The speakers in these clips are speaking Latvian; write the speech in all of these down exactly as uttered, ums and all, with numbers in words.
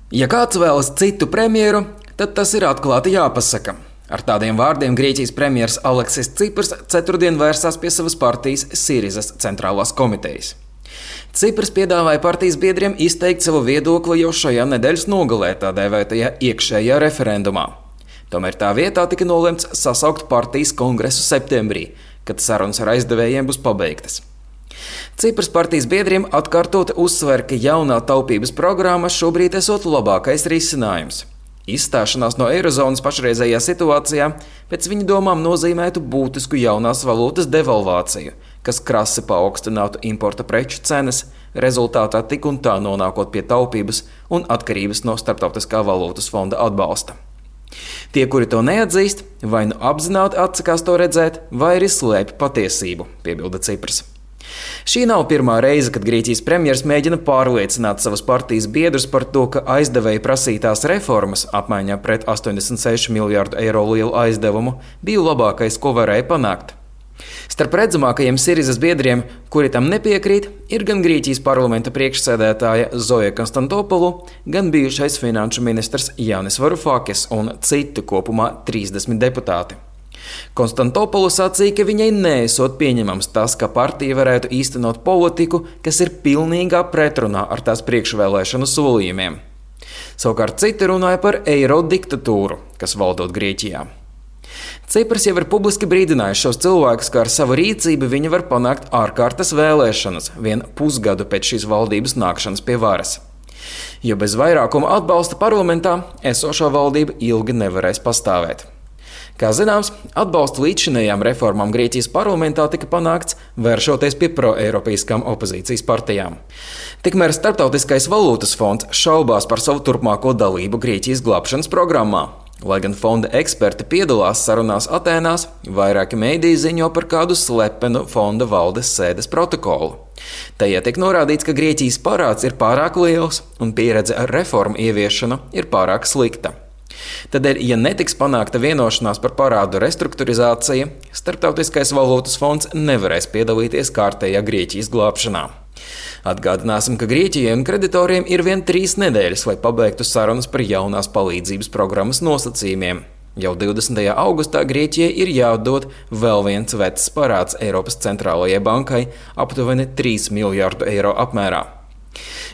Ja kāds vēlas citu premjeru, tad tas ir atklāti jāpasaka. Ar tādiem vārdiem Grieķijas premjers Aleksis Cipras ceturtdien vērsās pie savas partijas Sirizas centrālās komitejas. Cipras piedāvāja partijas biedriem izteikt savu viedokli jau šajā nedēļas nogalē tā dēvētajā iekšējā referendumā. Tomēr tā vietā tika nolemts sasaukt partijas kongresu septembrī, kad sarunas ar aizdevējiem būs pabeigtas. Cipras partijas biedriem atkārtoti uzsver, ka jaunā taupības programma šobrīd esot labākais risinājums. Izstāšanās no eirozonas pašreizējā situācijā pēc viņa domām nozīmētu būtisku jaunās valūtas devalvāciju, kas krasi paaugstinātu importa preču cenas, rezultātā tik un tā nonākot pie taupības un atkarības no Starptautiskā valūtas fonda atbalsta. Tie, kuri to neatzīst, vai nu apzināti atsakās to redzēt, vai arī slēpj patiesību, piebilda Cipras. Šī nav pirmā reize, kad Grieķijas premjers mēģina pārliecināt savas partijas biedrus par to, ka aizdevēja prasītās reformas apmaiņā pret astoņdesmit sešu miljārdu eiro lielu aizdevumu bija labākais, ko varēja panākt. Starp redzamākajiem Sirizas biedriem, kuri tam nepiekrīt, ir gan Grieķijas parlamenta priekšsēdētāja Zoja Konstantopolu, gan bijušais finanšu ministrs Jānis Varufakis un citi kopumā trīsdesmit deputāti. Konstantopolu sacīja, ka viņai neesot pieņemams tas, ka partija varētu īstenot politiku, kas ir pilnīgā pretrunā ar tās priekšvēlēšanu solījumiem. Savukārt citi runāja par eiro diktatūru, kas valdot Grieķijā. Cipras jau ir publiski brīdinājis šos cilvēkus, ka ar savu rīcību viņi var panākt ārkārtas vēlēšanas vien pusgadu pēc šīs valdības nākšanas pie varas. Jo bez vairākuma atbalsta parlamentā esošā valdība ilgi nevarēs pastāvēt. Kā zināms, atbalsta līdzšinējām reformām Grieķijas parlamentā tika panākts, vēršoties pie proeiropeiskām opozīcijas partijām. Tikmēr Starptautiskais valūtas fonds šaubās par savu turpmāko dalību Grieķijas glābšanas programmā. Lai gan fonda eksperti piedalās sarunās Atēnās, vairāki mēdīji ziņo par kādu slepenu fonda valdes sēdes protokolu. Tajā tiek norādīts, ka Grieķijas parāds ir pārāk liels un pieredze ar reformu ieviešanu ir pārāk slikta. Tādēļ, ja netiks panākta vienošanās par parādu restruktūrizāciju, Starptautiskais valūtas fonds nevarēs piedalīties kārtējā Grieķijas glābšanā. Atgādināsim, ka Grieķijai un kreditoriem ir vien trīs nedēļas, lai pabeigtu sarunas par jaunās palīdzības programmas nosacījumiem. Jau divdesmitajā augustā Grieķijai ir jāatdod vēl viens vecs parāds Eiropas centrālajai bankai aptuveni trīs miljārdu eiro apmērā.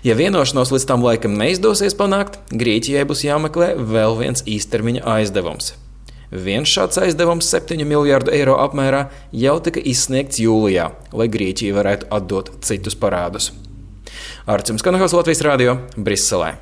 Ja vienošanos līdz tam laikam neizdosies panākt, Grieķijai būs jāmeklē vēl viens īstermiņa aizdevums. Viens šāds aizdevums septiņu miljārdu eiro apmērā jau tika izsniegts jūlijā, lai Grieķija varētu atdot citus parādus. Arčuns Kanahals, Latvijas radio, Briselē.